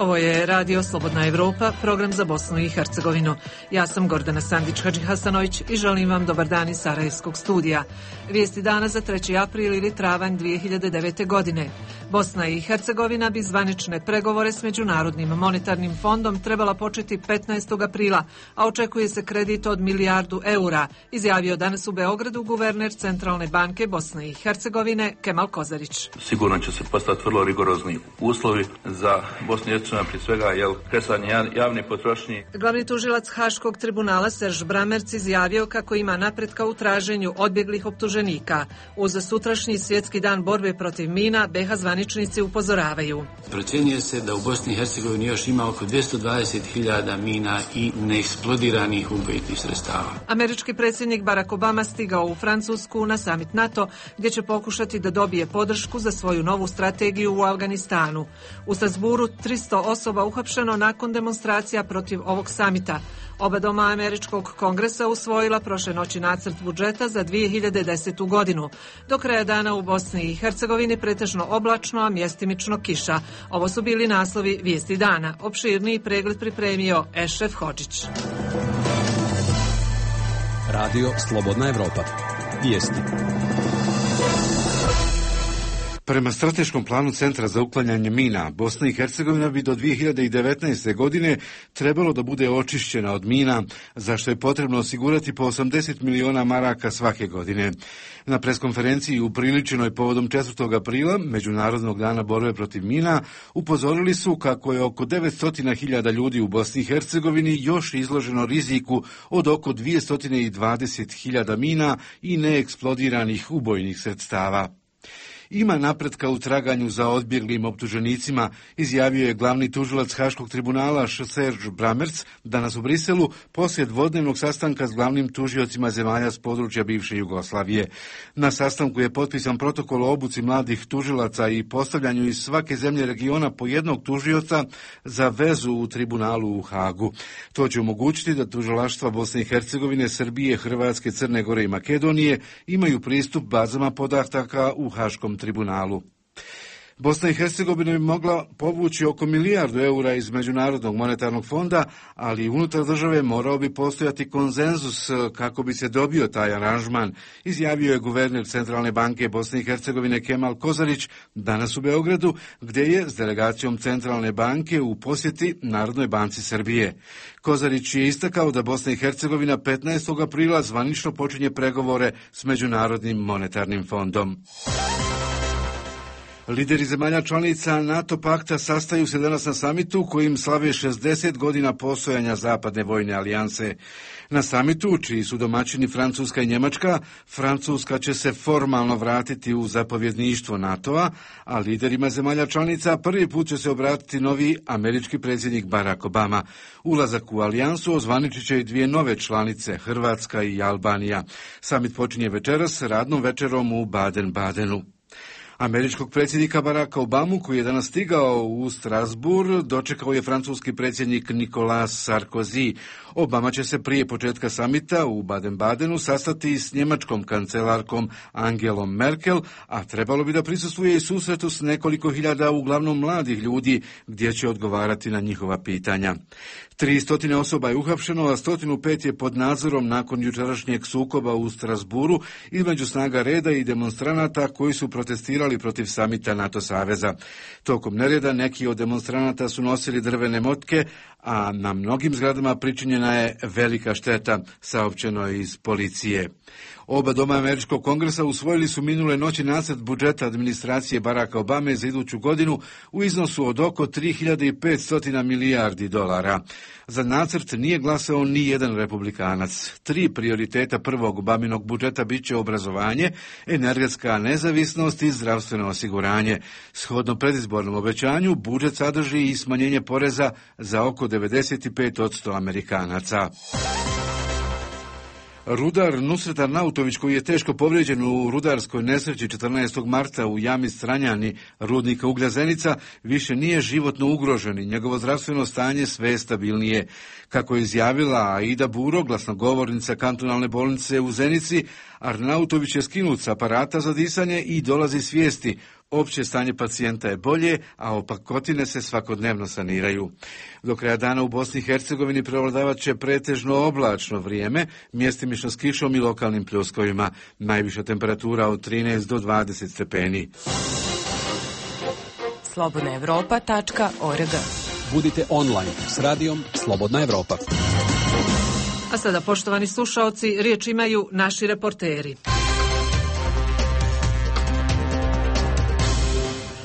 Ovo je Radio Slobodna Evropa, program za Bosnu i Hercegovinu. Ja sam Gordana Sandić-Hadžihasanović i želim vam dobar dan iz Sarajevskog studija. Vijesti dana za 3. april ili travanj 2009. godine. Bosna i Hercegovina bi zvanične pregovore s Međunarodnim monetarnim fondom trebala početi 15. aprila, a očekuje se kredit od milijardu eura, izjavio danas u Beogradu guverner Centralne banke Bosne i Hercegovine Kemal Kozarić. Sigurno će se postati vrlo rigorozni uslovi za Bosnu i Hercegovinu, prije svega kresanje javne potrošnje. Glavni tužilac Haškog tribunala Serž Bramerc izjavio kako ima napretka u traženju odbjeglih optuženika. Uz sutrašnji svjetski dan borbe protiv mina, BiH zvaničnici upozoravaju. Procjenjuje se da u Bosni i Hercegovini još ima oko 220.000 mina i neeksplodiranih ubojitih sredstava. Američki predsjednik Barack Obama stigao u Francusku na samit NATO, gdje će pokušati da dobije podršku za svoju novu strategiju u Afganistanu. U Strasburu 300 osoba uhapšeno nakon demonstracija protiv ovog samita. Oba doma Američkog kongresa usvojila prošle noći nacrt budžeta za 2010. godinu. Do kraja dana u Bosni i Hercegovini pretežno oblačno, a mjestimično kiša. Ovo su bili naslovi vijesti dana. Opširniji pregled pripremio Ešref Hodžić. Radio Slobodna Evropa. Vijesti. Prema strateškom planu Centra za uklanjanje mina, Bosna i Hercegovina bi do 2019. godine trebalo da bude očišćena od mina, za što je potrebno osigurati po 80 miliona maraka svake godine. Na preskonferenciji upriličenoj povodom 4. aprila, Međunarodnog dana borbe protiv mina, upozorili su kako je oko 900.000 ljudi u Bosni i Hercegovini još izloženo riziku od oko 220.000 mina i neeksplodiranih ubojnih sredstava. Ima napretka u traganju za odbjeglim optuženicima, izjavio je glavni tužilac Haškog tribunala Serž Bramerc danas u Briselu poslije dvodnevnog sastanka s glavnim tužiocima zemalja s područja bivše Jugoslavije. Na sastanku je potpisan protokol o obuci mladih tužilaca i postavljanju iz svake zemlje regiona po jednog tužioca za vezu u tribunalu u Hagu. To će omogućiti da tužilaštva Bosne i Hercegovine, Srbije, Hrvatske, Crne Gore i Makedonije imaju pristup bazama podataka u Haškom tribunalu. Bosna i Hercegovina bi mogla povući oko milijardu eura iz Međunarodnog monetarnog fonda, ali unutar države morao bi postojati konsenzus kako bi se dobio taj aranžman, izjavio je guverner Centralne banke Bosne i Hercegovine Kemal Kozarić danas u Beogradu, gdje je s delegacijom Centralne banke u posjeti Narodnoj banci Srbije. Kozarić je istakao da Bosna i Hercegovina 15. aprila zvanično počinje pregovore s Međunarodnim monetarnim fondom. Lideri zemalja članica NATO pakta sastaju se danas na samitu kojim slave 60 godina postojanja Zapadne vojne alijanse. Na samitu, čiji su domaćini Francuska i Njemačka, Francuska će se formalno vratiti u zapovjedništvo NATO-a, a liderima zemalja članica prvi put će se obratiti novi američki predsjednik Barack Obama. Ulazak u alijansu ozvaničit će i dvije nove članice, Hrvatska i Albanija. Samit počinje večeras radnom večerom u Baden-Badenu. Američkog predsjednika Baracka Obamu, koji je danas stigao u Strasbourg, dočekao je francuski predsjednik Nicolas Sarkozy. Obama će se prije početka samita u Baden-Badenu sastati s njemačkom kancelarkom Angelom Merkel, a trebalo bi da prisustvuje i susretu s nekoliko hiljada uglavnom mladih ljudi, gdje će odgovarati na njihova pitanja. 300 osoba je uhapšeno, a 105 je pod nadzorom nakon jučerašnjeg sukoba u Strasburu između snaga reda i demonstranata koji su protestirali protiv samita NATO saveza. Tokom nereda neki od demonstranata su nosili drvene motke, a na mnogim zgradama pričinjena je velika šteta, saopćeno je iz policije. Oba doma Američkog kongresa usvojili su minule noći nacrt budžeta administracije Baracka Obame za iduću godinu u iznosu od oko 3.500 milijardi dolara. Za nacrt nije glasao ni jedan republikanac. 3 prioriteta prvog Obaminog budžeta bit će obrazovanje, energetska nezavisnost i zdravstveno osiguranje. Shodno predizbornom obećanju, budžet sadrži i smanjenje poreza za oko 95% Amerikanaca. Rudar Nusret Arnautović, koji je teško povrijeđen u rudarskoj nesreći 14. marta u jami Stranjani rudnika uglja Zenica, više nije životno ugrožen i njegovo zdravstveno stanje sve je stabilnije. Kako je izjavila Aida Buro, glasnogovornica kantonalne bolnice u Zenici, Arnautović je skinut s aparata za disanje i dolazi svijesti. Opće stanje pacijenta je bolje, a opakotine se svakodnevno saniraju. Do kraja dana u Bosni i Hercegovini prevladavat će pretežno oblačno vrijeme, mjestimično s kišom i lokalnim pljuskovima. Najviša temperatura od 13 do 20 stepeni. slobodnaevropa.org. Budite online s radijom Slobodna Evropa. A sada, poštovani slušaoci, riječ imaju naši reporteri.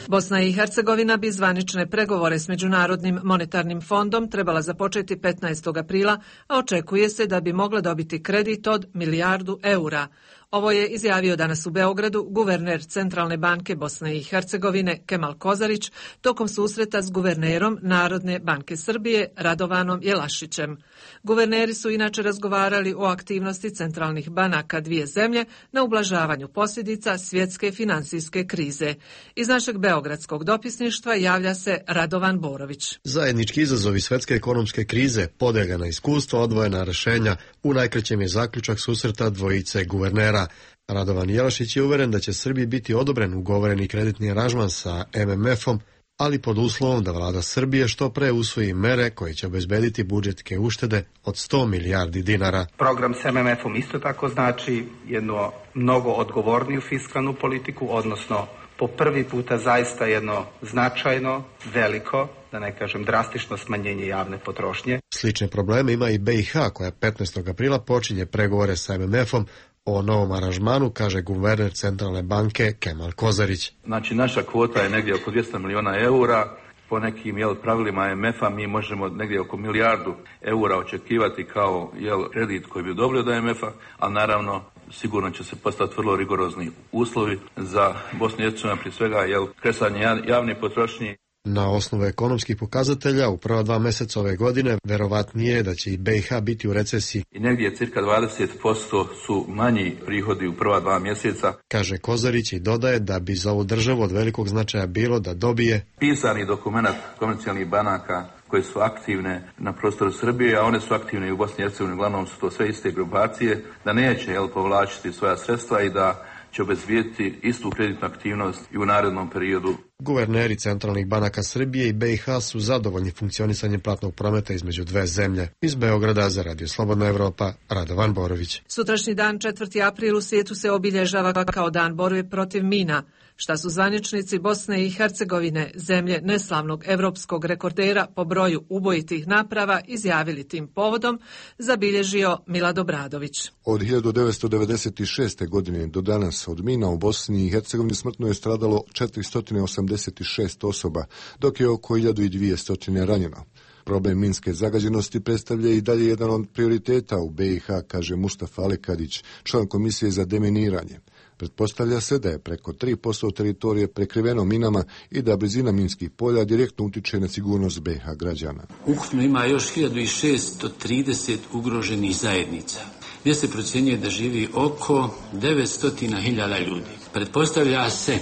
Bosna i Hercegovina bi zvanične pregovore s Međunarodnim monetarnim fondom trebala započeti 15. aprila, a očekuje se da bi mogla dobiti kredit od 1 milijardu eura. Ovo je izjavio danas u Beogradu guverner Centralne banke Bosne i Hercegovine Kemal Kozarić tokom susreta s guvernerom Narodne banke Srbije Radovanom Jelašićem. Guverneri su inače razgovarali o aktivnosti centralnih banaka dvije zemlje na ublažavanju posljedica svjetske financijske krize. Iz našeg beogradskog dopisništva javlja se Radovan Borović. Zajednički izazovi svjetske ekonomske krize, podeljena iskustva, odvojena rješenja, u najkraćem je zaključak susreta dvojice guvernera. Radovan Jelašić je uveren da će Srbiji biti odobren ugovoreni kreditni aranžman sa MMF-om, ali pod uslovom da vlada Srbije što pre usvoji mere koje će obezbediti budžetske uštede od 100 milijardi dinara. Program s MMF-om isto tako znači jednu mnogo odgovorniju fiskalnu politiku, odnosno po prvi puta zaista jedno značajno, veliko, da ne kažem drastično smanjenje javne potrošnje. Slične probleme ima i BiH koja 15. aprila počinje pregovore sa MMF-om o novom aranžmanu, kaže guverner Centralne banke Kemal Kozarić. Znači, naša kvota je negdje oko 200 miliona eura. Po nekim pravilima MMF-a mi možemo negdje oko 1 milijardu eura očekivati kao kredit koji bi dobili od MMF-a, ali naravno sigurno će se postati vrlo rigorozni uslovi za Bosnu i Hercegovinu, prije svega kresanje javne potrošnje. Na osnovu ekonomskih pokazatelja u prva 2 mjeseca ove godine verovatnije je da će i BiH biti u recesiji. I negdje cirka 20% su manji prihodi u prva 2 mjeseca. Kaže Kozarić i dodaje da bi za ovu državu od velikog značaja bilo da dobije pisani dokument komercijalnih banaka koje su aktivne na prostoru Srbije, a one su aktivne i u Bosni i Hercegovini, uglavnom su to sve iste grupacije, da neće povlačiti svoja sredstva i da će obezbijediti istu kreditnu aktivnost i u narednom periodu. Guverneri centralnih banaka Srbije i BiH su zadovoljni funkcionisanjem platnog prometa između dve zemlje. Iz Beograda za Radio Slobodna Evropa, Radovan Borović. Sutrašnji dan 4. april u svijetu se obilježava kao dan borbe protiv mina. Šta su zvaničnici Bosne i Hercegovine, zemlje neslavnog evropskog rekordera po broju ubojitih naprava, izjavili tim povodom, zabilježio Milad Obradović. Od 1996. godine do danas od mina u Bosni i Hercegovini smrtno je stradalo 486 osoba, dok je oko 1200 ranjeno. Problem minske zagađenosti predstavlja i dalje jedan od prioriteta u BiH, kaže Mustafa Alekadić, član Komisije za deminiranje. Pretpostavlja se da je preko 3% teritorije prekriveno minama i da blizina minskih polja direktno utiče na sigurnost BiH građana. Ukupno ima još 1630 ugroženih zajednica, gdje se procjenjuje da živi oko 900.000 ljudi. Pretpostavlja se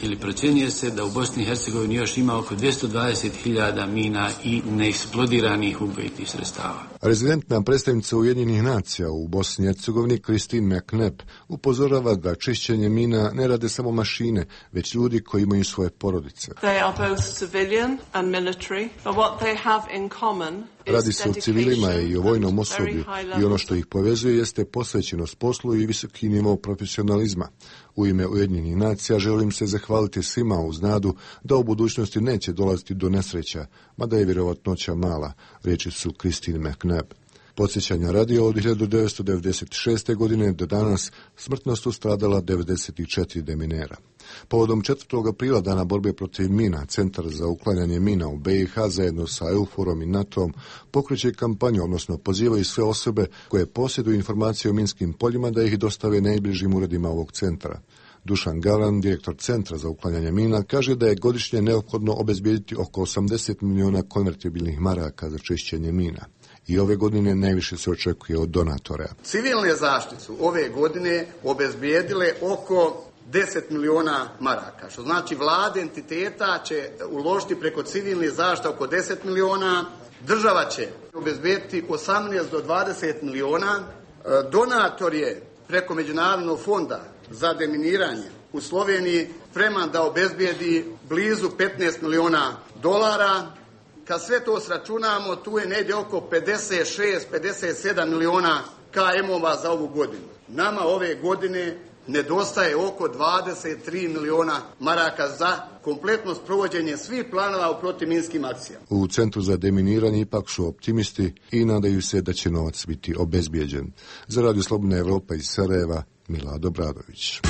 ili procjenjuje se da u Bosni i Hercegovini još ima oko 220.000 mina i neeksplodiranih ubojitih sredstava. Rezidentna predstavnica Ujedinjenih nacija u Bosni i Hercegovini Christine McNabb upozorava da čišćenje mina ne rade samo mašine, već ljudi koji imaju svoje porodice. Radi se o civilima i o vojnom osoblju i ono što ih povezuje jeste posvećenost poslu i visoki nivo profesionalizma. U ime Ujedinjenih nacija želim se zahvaliti svima uz nadu da u budućnosti neće dolaziti do nesreća, mada je vjerovatnoća mala, riječi su Christine McNabb. Podsjećanja radi, od 1996. godine do danas smrtno su stradala 94 deminera. Povodom 4. aprila, dana borbe protiv mina, Centar za uklanjanje mina u BiH zajedno sa EUFOR-om i NATO-om pokreće kampanju, odnosno pozivaju sve osobe koje posjeduju informacije o minskim poljima da ih dostave najbližim uredima ovog centra. Dušan Gavran, direktor Centra za uklanjanje mina, kaže da je godišnje neophodno obezbijediti oko 80 miliona konvertibilnih maraka za čišćenje mina. I ove godine najviše se očekuje od donatora. Civilne zaštite su ove godine obezbijedile oko 10 miliona maraka, što znači vlade entiteta će uložiti preko civilne zaštite oko 10 miliona, država će obezbijediti 18 do 20 miliona, donator je preko Međunarodnog fonda za deminiranje u Sloveniji spreman da obezbijedi blizu 15 miliona dolara. Kad sve to sračunamo, tu je negdje oko 56-57 miliona KM-ova za ovu godinu. Nama ove godine nedostaje oko 23 miliona maraka za kompletno sprovođenje svih planova u protivminskim akcijama. U Centru za deminiranje ipak su optimisti i nadaju se da će novac biti obezbijeđen. Za Radio Slobodna Evropa iz Sarajeva, Milado Bradović.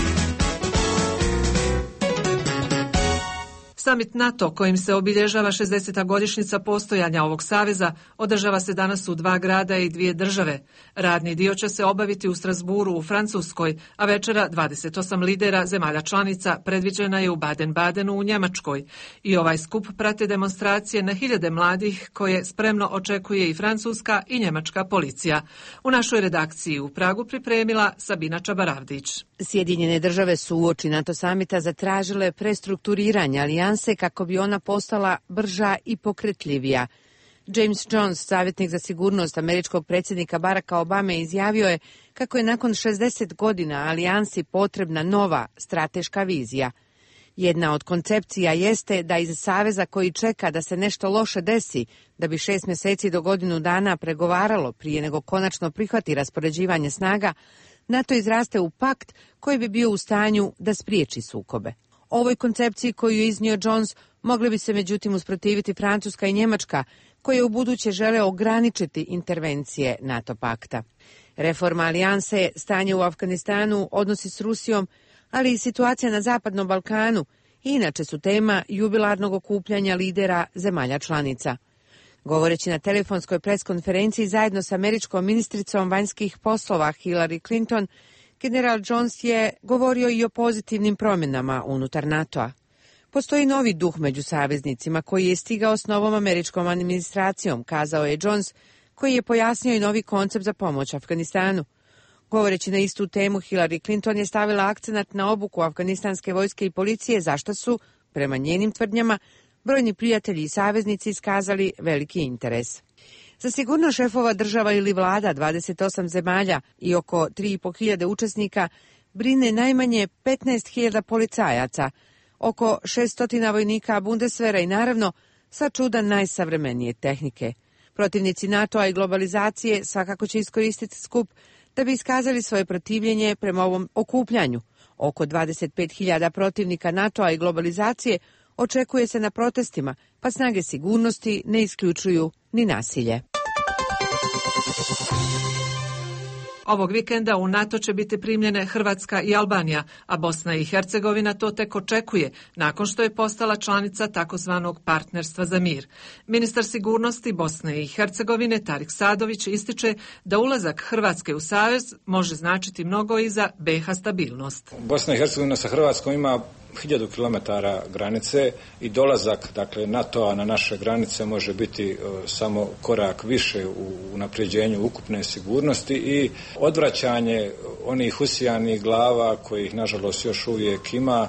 Samit NATO, kojim se obilježava 60. godišnjica postojanja ovog saveza, održava se danas u 2 grada i 2 države. Radni dio će se obaviti u Strasburu u Francuskoj, a večera 28 lidera zemalja članica predviđena je u Baden-Badenu u Njemačkoj. I ovaj skup prate demonstracije na hiljade mladih koje spremno očekuje i francuska i njemačka policija. U našoj redakciji u Pragu pripremila Sabina Čabaravdić. Sjedinjene države su uoči NATO samita zatražile prestrukturiranje alijanse kako bi ona postala brža i pokretljivija. James Jones, savjetnik za sigurnost američkog predsjednika Baracka Obame, izjavio je kako je nakon 60 godina alijansi potrebna nova strateška vizija. Jedna od koncepcija jeste da iz saveza koji čeka da se nešto loše desi, da bi 6 mjeseci do godinu dana pregovaralo prije nego konačno prihvati raspoređivanje snaga, NATO izraste u pakt koji bi bio u stanju da spriječi sukobe. Ovoj koncepciji koju je iznio Jones mogli bi se međutim usprotiviti Francuska i Njemačka, koje u buduće žele ograničiti intervencije NATO pakta. Reforma alijanse, stanje u Afganistanu, odnosi s Rusijom, ali i situacija na Zapadnom Balkanu inače su tema jubilarnog okupljanja lidera zemalja članica. Govoreći na telefonskoj preskonferenciji zajedno s američkom ministricom vanjskih poslova Hillary Clinton, general Jones je govorio i o pozitivnim promjenama unutar NATO-a. Postoji novi duh među saveznicima koji je stigao s novom američkom administracijom, kazao je Jones, koji je pojasnio i novi koncept za pomoć Afganistanu. Govoreći na istu temu, Hillary Clinton je stavila akcenat na obuku afganistanske vojske i policije, zašto su, prema njenim tvrdnjama, brojni prijatelji i saveznici iskazali veliki interes. Za sigurno šefova država ili vlada 28 zemalja i oko 3.500 učesnika brine najmanje 15.000 policajaca, oko 600 vojnika Bundeswehra i naravno sva čuda najsavremenije tehnike. Protivnici NATO-a i globalizacije svakako će iskoristiti skup da bi iskazali svoje protivljenje prema ovom okupljanju. Oko 25.000 protivnika NATO-a i globalizacije očekuje se na protestima, pa snage sigurnosti ne isključuju ni nasilje. Ovog vikenda u NATO će biti primljene Hrvatska i Albanija, a Bosna i Hercegovina to tek očekuje, nakon što je postala članica takozvanog partnerstva za mir. Ministar sigurnosti Bosne i Hercegovine Tarik Sadović ističe da ulazak Hrvatske u savez može značiti mnogo i za BiH stabilnost. Bosna i Hercegovina sa Hrvatskom ima 1000 km granice i dolazak NATO-a na naše granice može biti samo korak više u unapređenju ukupne sigurnosti i odvraćanje onih usijanih glava kojih nažalost još uvijek ima,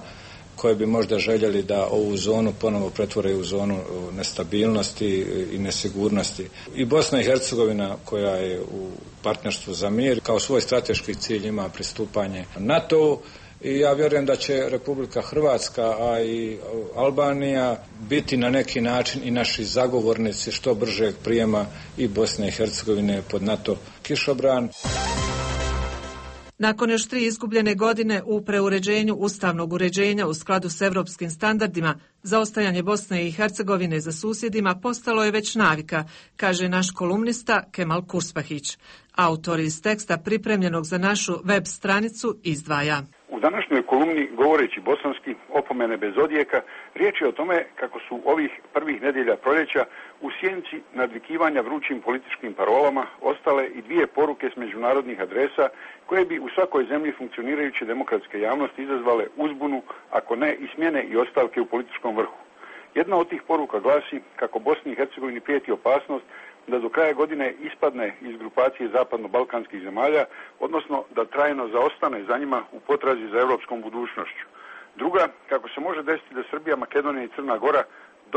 koje bi možda željeli da ovu zonu ponovo pretvore u zonu nestabilnosti i nesigurnosti. I Bosna i Hercegovina, koja je u partnerstvu za mir, kao svoj strateški cilj ima pristupanje NATO-u. I ja vjerujem da će Republika Hrvatska, a i Albanija biti na neki način i naši zagovornici što bržeg prijema i Bosne i Hercegovine pod NATO kišobran. Nakon još 3 izgubljene godine u preuređenju ustavnog uređenja u skladu s evropskim standardima, zaostajanje Bosne i Hercegovine za susjedima postalo je već navika, kaže naš kolumnista Kemal Kurspahić. Autor iz teksta pripremljenog za našu web stranicu izdvaja. U današnjoj kolumni, govoreći bosanski, opomene bez odjeka, riječ je o tome kako su ovih prvih nedjelja proljeća u sjenci nadvikivanja vrućim političkim parolama ostale i 2 poruke s međunarodnih adresa koje bi u svakoj zemlji funkcionirajuće demokratske javnosti izazvale uzbunu, ako ne i smjene i ostavke u političkom vrhu. Jedna od tih poruka glasi kako Bosni i Hercegovini prijeti opasnost da do kraja godine ispadne iz grupacije zapadno-balkanskih zemalja, odnosno da trajno zaostane za njima u potrazi za europskom budućnošću. Druga, kako se može desiti da Srbija, Makedonija i Crna Gora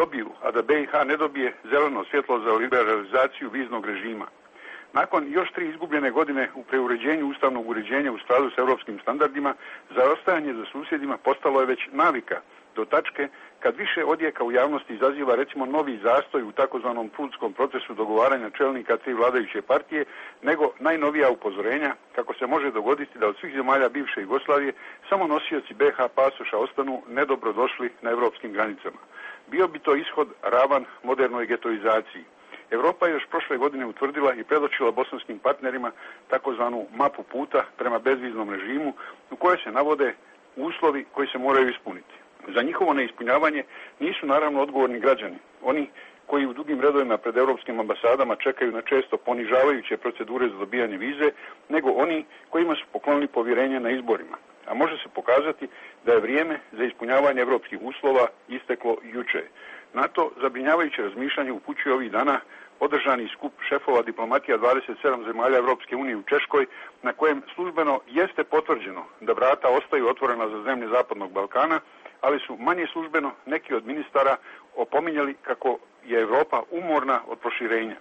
dobiju, a da BiH ne dobije zeleno svjetlo za liberalizaciju viznog režima. Nakon još 3 izgubljene godine u preuređenju ustavnog uređenja u skladu s europskim standardima, zaostajanje za susjedima postalo je već navika, do tačke kad više odjeka u javnosti izaziva recimo novi zastoj u takozvanom prudskom procesu dogovaranja čelnika 3 vladajuće partije, nego najnovija upozorenja kako se može dogoditi da od svih zemalja bivše Jugoslavije samo nosioci BH pasoša ostanu nedobro došli na europskim granicama. Bio bi to ishod ravan modernoj getoizaciji. Europa je još prošle godine utvrdila i predočila bosanskim partnerima takozvanu mapu puta prema bezviznom režimu u kojoj se navode uslovi koji se moraju ispuniti. Za njihovo neispunjavanje nisu naravno odgovorni građani, oni koji u dugim redovima pred europskim ambasadama čekaju na često ponižavajuće procedure za dobijanje vize, nego oni kojima su poklonili povjerenje na izborima. A može se pokazati da je vrijeme za ispunjavanje europskih uslova isteklo juče. Na to zabrinjavajuće razmišljanje upućuje ovih dana održani skup šefova diplomatija 27 zemalja Europske unije u Češkoj, na kojem službeno jeste potvrđeno da vrata ostaju otvorena za zemlje Zapadnog Balkana, ali su manje službeno neki od ministara opominjali kako je Europa umorna od proširenja.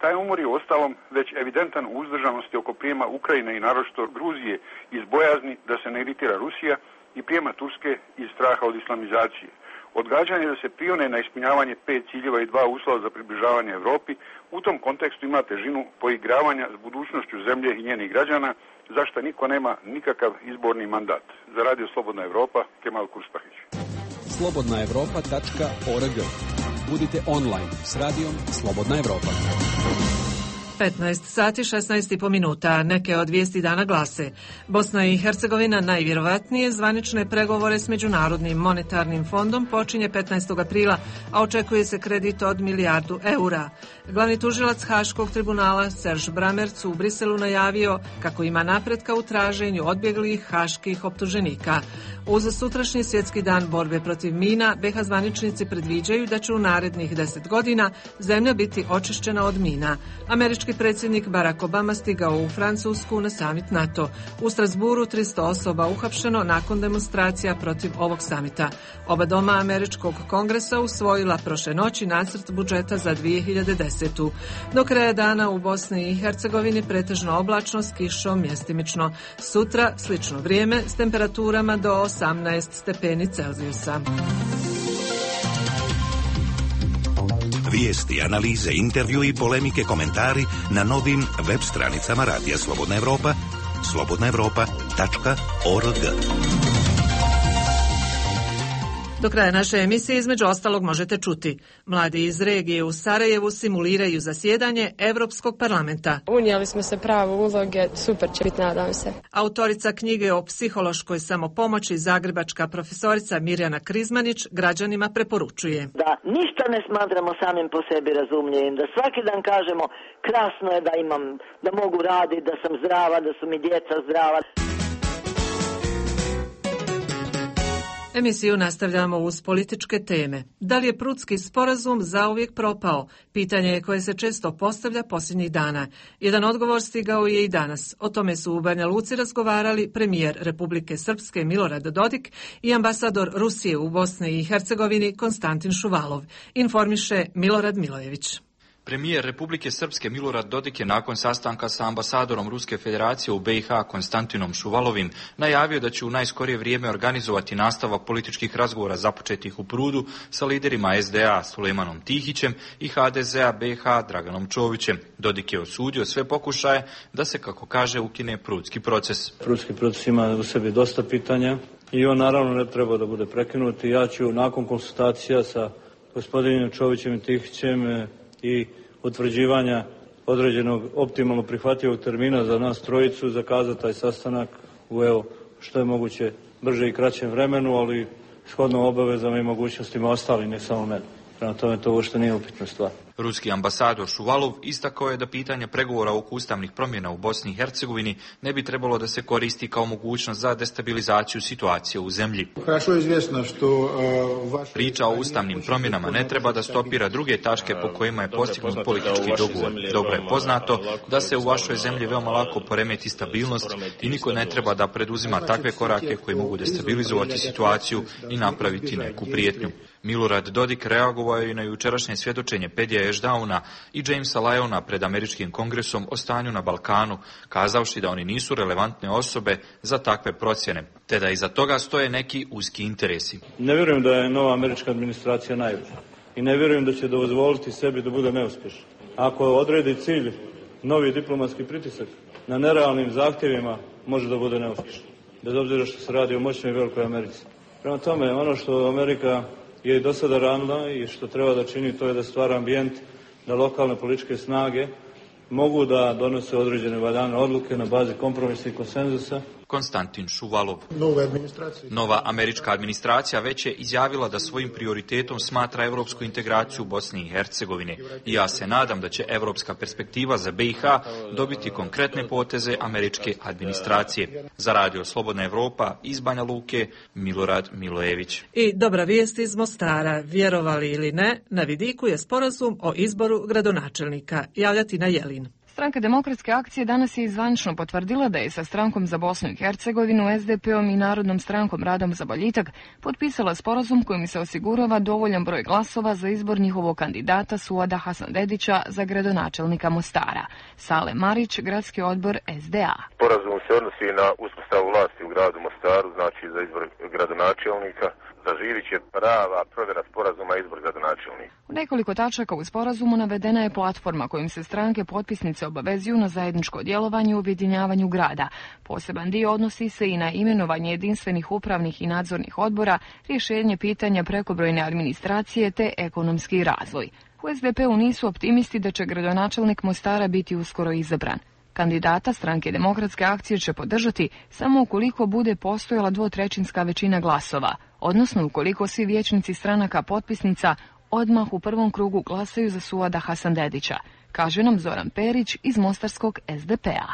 Taj umor je uostalom već evidentan u uzdržanosti oko prijema Ukrajine i naročito Gruzije iz bojazni da se ne iritira Rusija i prijema Turske iz straha od islamizacije. Odgađanje da se prione na ispunjavanje 5 ciljeva i 2 uslova za približavanje Europi u tom kontekstu ima težinu poigravanja s budućnošću zemlje i njenih građana, zašto niko nema nikakav izborni mandat. Za Radio Slobodna Evropa, Kemal Kurspahić. slobodnaevropa.org. Budite online s radijom Slobodna Evropa. 15 sati 16,5 minuta. Neke od vijesti dana glase: Bosna i Hercegovina najvjerovatnije zvanične pregovore s Međunarodnim monetarnim fondom počinje 15. aprila, a očekuje se kredit od milijardu eura. Glavni tužilac Haškog tribunala Serž Bramerc u Briselu najavio kako ima napretka u traženju odbjeglih haških optuženika. Uz sutrašnji svjetski dan borbe protiv mina, BiH zvaničnici predviđaju da će u narednih 10 godina zemlja biti očišćena od mina. Američki predsjednik Barack Obama stigao u Francusku na samit NATO. U Strasburu 300 osoba uhapšeno nakon demonstracija protiv ovog samita. Oba doma Američkog kongresa usvojila prošle noći nacrt budžeta za 2010. Do kraja dana u Bosni i Hercegovini pretežno oblačno s kišom mjestimično. Sutra slično vrijeme s temperaturama do 18 stepeni Celzijusa. Vijesti, analize, intervju i polemike, komentari na novim web stranicama Radija Slobodna Evropa, slobodnaevropa.org. Do kraja naše emisije između ostalog možete čuti: mladi iz regije u Sarajevu simuliraju zasjedanje Europskog parlamenta. Unijeli smo se pravo uloge, super će biti, nadam se. Autorica knjige o psihološkoj samopomoći, zagrebačka profesorica Mirjana Krizmanić, građanima preporučuje: da ništa ne smatramo samim po sebi razumljivim, da svaki dan kažemo krasno je da imam, da mogu raditi, da sam zdrava, da su mi djeca zdrava. Emisiju nastavljamo uz političke teme. Da li je Prudski sporazum zauvijek propao? Pitanje je koje se često postavlja posljednjih dana. Jedan odgovor stigao je i danas. O tome su u Banja Luci razgovarali premijer Republike Srpske Milorad Dodik i ambasador Rusije u Bosni i Hercegovini Konstantin Šuvalov. Informiše Milorad Milojević. Premijer Republike Srpske Milorad Dodik je nakon sastanka sa ambasadorom Ruske federacije u BiH Konstantinom Šuvalovim najavio da će u najskorije vrijeme organizovati nastavak političkih razgovora započetih u Prudu sa liderima SDA Sulejmanom Tihićem i HDZ-a BiH Draganom Čovićem. Dodik je osudio sve pokušaje da se, kako kaže, ukine Prudski proces. Prudski proces ima u sebi dosta pitanja i on naravno ne treba da bude prekinut. Ja ću nakon konsultacija sa gospodinom Čovićem i Tihićem i utvrđivanja određenog optimalno prihvatljivog termina za nas trojicu zakazati taj sastanak u što je moguće brže i kraćem vremenu, ali shodno obavezama i mogućnostima ostali, ne samo mene. Prema tome to uopšte nije upitna stvar. Ruski ambasador Šuvalov istakao je da pitanje pregovora oko ustavnih promjena u Bosni i Hercegovini ne bi trebalo da se koristi kao mogućnost za destabilizaciju situacije u zemlji. Priča o ustavnim promjenama ne treba da stopira druge tačke po kojima je postignut politički dogovor. Dobro je poznato da se u vašoj zemlji veoma lako poremeti stabilnost i niko ne treba da preduzima takve korake koji mogu destabilizovati situaciju i napraviti neku prijetnju. Milorad Dodik reagovao je i na jučerašnje svjedočenje Pedija Ešdauna i Jamesa Lyona pred američkim kongresom o stanju na Balkanu, kazavši da oni nisu relevantne osobe za takve procjene, te da iza toga stoje neki uski interesi. Ne vjerujem da je nova američka administracija naivna i ne vjerujem da će dozvoliti sebi da bude neuspješna. Ako odredi cilj novi diplomatski pritisak na nerealnim zahtjevima, može da bude neuspješna, bez obzira što se radi o moćnoj i velikoj Americi. Prema tome, ono što Amerika je i do sada radila i što treba da čini, to je da stvara ambijent da lokalne političke snage mogu da donose određene valjane odluke na bazi kompromisa i konsenzusa. Konstantin Šuvalov. Nova američka administracija već je izjavila da svojim prioritetom smatra evropsku integraciju Bosne i Hercegovine i ja se nadam da će evropska perspektiva za BiH dobiti konkretne poteze američke administracije. Za Radio Slobodna Evropa iz Banja Luke, Milorad Milojević. I dobra vijest iz Mostara, vjerovali ili ne, na vidiku je sporazum o izboru gradonačelnika. Javljati na Jelin. Stranka Demokratske akcije danas je izvanično potvrdila da je sa Strankom za Bosnu i Hercegovinu, SDP-om i Narodnom strankom Radom za boljitak potpisala sporazum kojim se osigurava dovoljan broj glasova za izbor njihovog kandidata Suada Hasandedića za gradonačelnika Mostara. Sale Marić, gradski odbor SDA. Sporazum se odnosi na uspostavu vlasti u gradu Mostaru, znači za izbor gradonačelnika. Zaživit će prava provjera sporazuma i izbor gradonačelnika. U nekoliko tačaka u sporazumu navedena je platforma kojim se stranke potpisnice obavezuju na zajedničko djelovanje u objedinjavanju grada. Poseban dio odnosi se i na imenovanje jedinstvenih upravnih i nadzornih odbora, rješenje pitanja prekobrojne administracije te ekonomski razvoj. U SDP-u nisu optimisti da će gradonačelnik Mostara biti uskoro izabran. Kandidata Stranke Demokratske akcije će podržati samo ukoliko bude postojala 2/3 većina glasova, odnosno ukoliko svi vijećnici stranaka potpisnica odmah u prvom krugu glasaju za Suada Hasandedića, kaže nam Zoran Perić iz mostarskog SDP-a.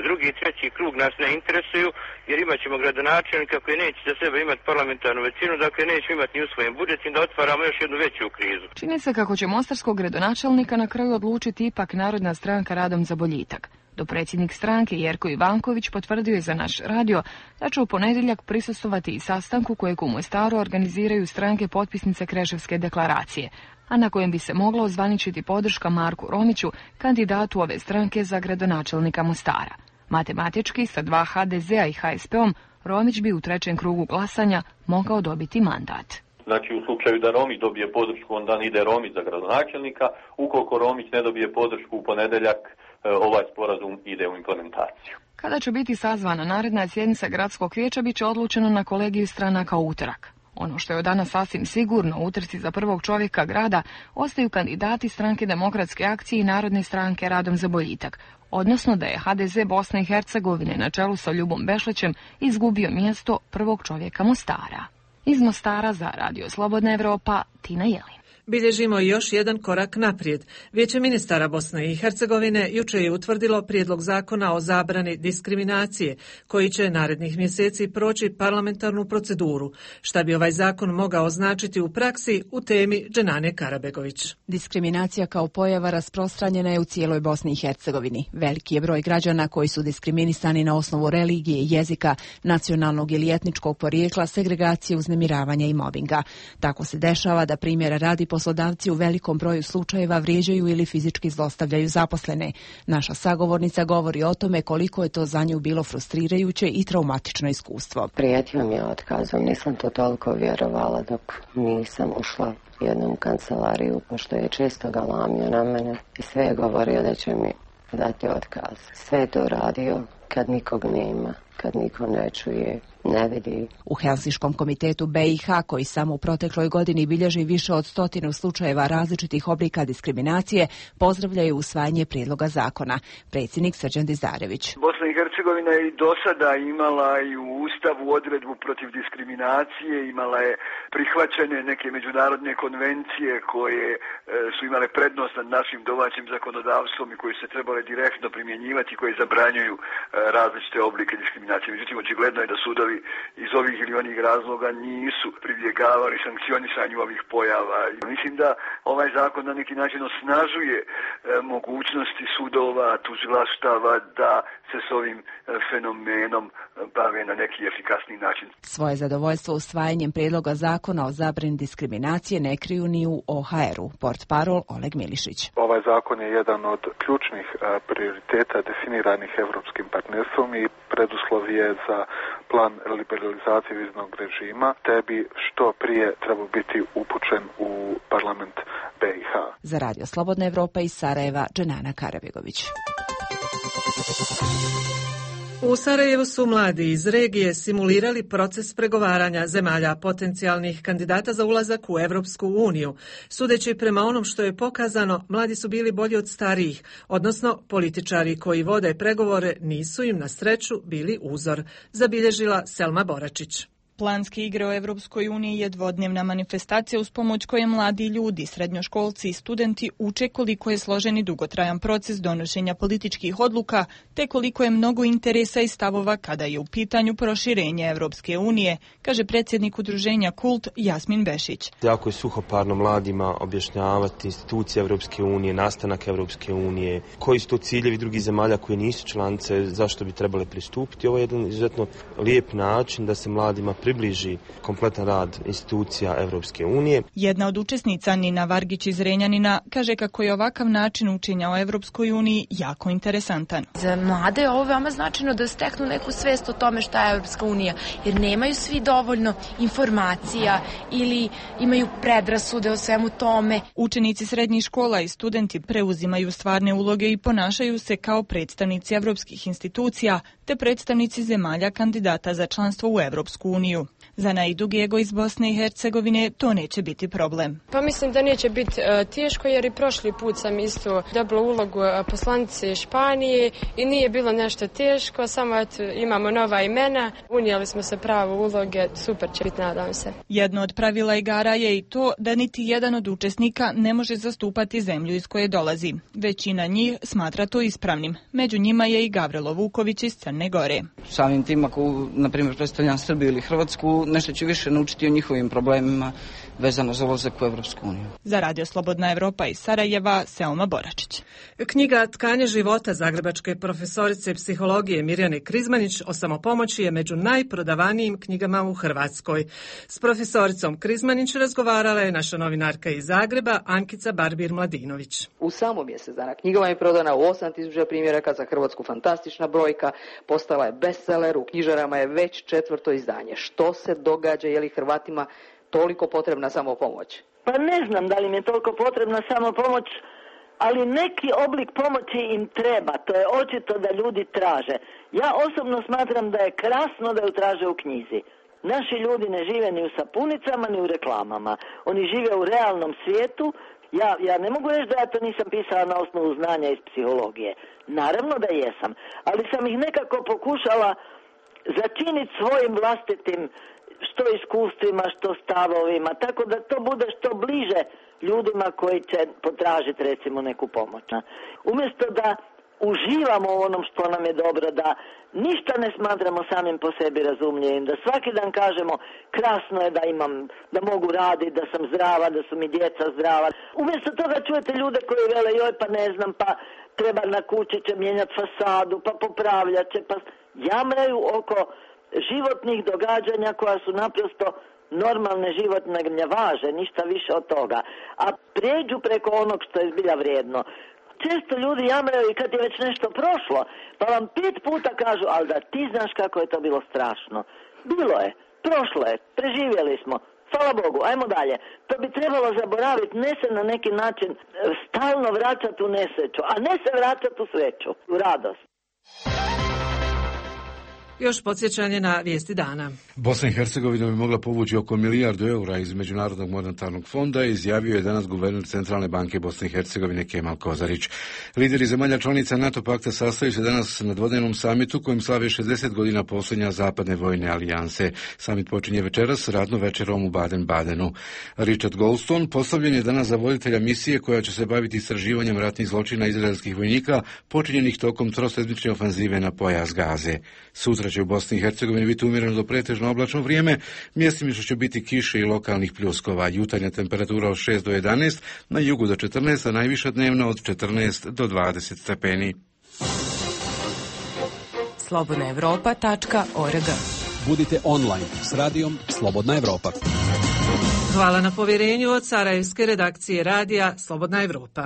Drugi i treći krug nas ne interesuju jer imat ćemo gradonačelnika koji neće za sebe imati parlamentarnu većinu, dakle neće imati ni usvojen budžet i da otvaramo još jednu veću krizu. Čini se kako će mostarskog gradonačelnika na kraju odlučiti ipak Narodna stranka Radom za boljitak. Dopredsjednik stranke Jerko Ivanković potvrdio je za naš radio da će u ponedjeljak prisustvovati i sastanku kojeg u Mostaru organiziraju stranke potpisnice Kreševske deklaracije, a na kojem bi se mogla ozvaničiti podrška Marku Romiću, kandidatu ove stranke za gradonačelnika Mostara. Matematički, sa 2 HDZ-a i HSP-om, Romić bi u trećem krugu glasanja mogao dobiti mandat. Znači u slučaju da Romić dobije podršku, onda ide Romić za gradonačelnika. Ukoliko Romić ne dobije podršku u ponedjeljak, ovaj sporazum ide u implementaciju. Kada će biti sazvana naredna sjednica gradskog vijeća, bit će odlučeno na kolegiju stranaka u utorak. Ono što je od danas sasvim sigurno u utrci za prvog čovjeka grada ostaju kandidati Stranke Demokratske akcije i Narodne stranke Radom za boljitak, odnosno da je HDZ Bosne i Hercegovine na čelu sa Ljubom Bešlićem izgubio mjesto prvog čovjeka Mostara. Iz Mostara za Radio Slobodna Evropa, Tina Jelin. Bilježimo još jedan korak naprijed. Vijeće ministara Bosne i Hercegovine jučer je utvrdilo prijedlog zakona o zabrani diskriminacije, koji će narednih mjeseci proći parlamentarnu proceduru. Šta bi ovaj zakon mogao značiti u praksi, u temi Dženane Karabegović. Diskriminacija kao pojava rasprostranjena je u cijeloj Bosni i Hercegovini. Veliki je broj građana koji su diskriminisani na osnovu religije, jezika, nacionalnog ili etničkog porijekla, segregacije, uznemiravanja i mobinga. Tako se dešava da primjera radi poslodavci u velikom broju slučajeva vrijeđaju ili fizički zlostavljaju zaposlene. Naša sagovornica govori o tome koliko je to za nju bilo frustrirajuće i traumatično iskustvo. Prijetio mi je otkazom, nisam to toliko vjerovala dok nisam ušla u jednom kancelariju, pošto je često galamio na mene i sve je govorio da će mi dati otkaz. Sve je to radio kad nikog nema, kad niko ne čuje, ne vidi. U Helsinškom komitetu BiH, koji samo u protekloj godini bilježi više od 100 slučajeva različitih oblika diskriminacije, pozdravljaju usvajanje prijedloga zakona. Predsjednik Srđan Dizarević. Bosna i Hercegovina je i do sada imala i u Ustavu odredbu protiv diskriminacije, imala je prihvaćene neke međunarodne konvencije koje su imale prednost nad našim domaćim zakonodavstvom i koje se trebale direktno primjenjivati, koje zabranjuju različite oblike diskriminacije. Međutim, očigledno je da sudovi sudovi iz ovih ili onih razloga nisu pribjegavali sankcionisanju ovih pojava. Mislim da ovaj zakon na neki način osnažuje mogućnosti sudova, tužilaštava da se s ovim fenomenom bave na neki efikasni način. Svoje zadovoljstvo usvajanjem prijedloga zakona o zabrani diskriminacije ne kriju ni u OHR-u. Portparol Oleg Milišić. Ovaj zakon je jedan od ključnih prioriteta definiranih europskim partnerstvom i preduslov je za plan liberalizacije viznog režima, te bi što prije trebao biti upućen u parlament BiH. Za Radio Slobodna Evropa iz Sarajeva, Dženana Karabegović. U Sarajevu su mladi iz regije simulirali proces pregovaranja zemalja potencijalnih kandidata za ulazak u Evropsku uniju. Sudeći prema onom što je pokazano, mladi su bili bolji od starijih, odnosno političari koji vode pregovore nisu im na sreću bili uzor, zabilježila Selma Boračić. Planske igre o Evropskoj uniji je dvodnevna manifestacija uz pomoć koje mladi ljudi, srednjoškolci i studenti uče koliko je složen i dugotrajan proces donošenja političkih odluka, te koliko je mnogo interesa i stavova kada je u pitanju proširenje Evropske unije, kaže predsjednik udruženja Kult Jasmin Bešić. Jako je suhoparno mladima objašnjavati institucije Evropske unije, nastanak Evropske unije, koji su to ciljevi drugih zemalja koje nisu članice, zašto bi trebale pristupiti. Ovo je jedan izuzetno lijep način da se mladima približi kompletan rad institucija Evropske unije. Jedna od učesnica, Nina Vargić iz Renjanina, kaže kako je ovakav način učenja o Evropskoj uniji jako interesantan. Za mlade je ovo veoma značajno da steknu neku svest o tome šta je Evropska unija, jer nemaju svi dovoljno informacija ili imaju predrasude o svemu tome. Učenici srednjih škola i studenti preuzimaju stvarne uloge i ponašaju se kao predstavnici evropskih institucija te predstavnici zemalja kandidata za članstvo u Evropsku uniju. Za Naidu Gego iz Bosne i Hercegovine to neće biti problem. Pa mislim da neće biti teško jer i prošli put sam isto dobila ulogu poslanice Španije i nije bilo nešto teško, samo imamo nova imena, unijeli smo se pravo uloge, super će biti, nadam se. Jedno od pravila igara je i to da niti jedan od učesnika ne može zastupati zemlju iz koje dolazi. Većina njih smatra to ispravnim. Među njima je i Gavrilo Vuković iz Crne Gore. Samim tim ako, na primjer, predstavljam Srbiju ili Hrvatsku, nešto ću više naučiti o njihovim problemima vezano za ulazak u Evropsku uniju. Za Radio Slobodna Evropa iz Sarajeva, Selma Boračić. Knjiga Tkanje života zagrebačke profesorice psihologije Mirjane Krizmanić o samopomoći je među najprodavanijim knjigama u Hrvatskoj. S profesoricom Krizmanić razgovarala je naša novinarka iz Zagreba, Ankica Barbir-Mladinović. U samo mjesec dana knjiga vam je prodana u 8000 primjeraka, za Hrvatsku fantastična brojka, postala je bestseller, u knjižarama je već 4. izdanje. Što se događa, je li Hrvatima toliko potrebna samopomoć? Pa ne znam da li im je toliko potrebna samopomoć, ali neki oblik pomoći im treba. To je očito da ljudi traže. Ja osobno smatram da je krasno da ju traže u knjizi. Naši ljudi ne žive ni u sapunicama, ni u reklamama. Oni žive u realnom svijetu. Ja ne mogu reći da ja to nisam pisala na osnovu znanja iz psihologije. Naravno da jesam, ali sam ih nekako pokušala začiniti svojim vlastitim što iskustvima, što stavovima, tako da to bude što bliže ljudima koji će potražiti recimo neku pomoć. Umjesto da uživamo u onom što nam je dobro, da ništa ne smatramo samim po sebi razumljivim, da svaki dan kažemo krasno je da mogu raditi, da sam zdrava, da su mi djeca zdrava. Umjesto toga čujete ljude koji vele joj pa ne znam, pa treba na kući će mijenjati fasadu, pa popravljat će, pa jamraju oko životnih događanja koja su naprosto normalne životne gnjavaže, ništa više od toga. A prijeđu preko onog što je zbilja vrijedno. Često ljudi jamraju i kad je već nešto prošlo, pa vam 5 puta kažu, ali da ti znaš kako je to bilo strašno. Bilo je, prošlo je, preživjeli smo, hvala Bogu, ajmo dalje. To bi trebalo zaboraviti, ne se na neki način stalno vraćati u nesreću, a ne se vraćati u sreću, u radost. Još podsjećanje na vijesti dana. Bosna i Hercegovina bi mogla povući oko €1 milijardu iz Međunarodnog monetarnog fonda, izjavio je danas guverner Centralne banke Bosne i Hercegovine Kemal Kozarić. Lideri zemalja članica NATO pakta sastaju se danas na dvodnevnom samitu kojim slave 60 godina postojanja zapadne vojne alijanse. Samit počinje večeras radnom večerom u Baden-Badenu. Richard Goldstone postavljen je danas za voditelja misije koja će se baviti istraživanjem ratnih zločina izraelskih vojnika počinjenih tokom trosedmične ofanzive na pojas Gaze. Sutra Sutra će u Bosni i Hercegovini biti umjereno do pretežno oblačno vrijeme, mjestimično će biti kiše i lokalnih pljuskova. Jutarnja temperatura od 6 do 11, na jugu do 14, a najviša dnevna od 14 do 20 stepeni. slobodnaevropa.org. Budite online s radijom Slobodna Evropa. Hvala na povjerenju od sarajevske redakcije radija Slobodna Evropa.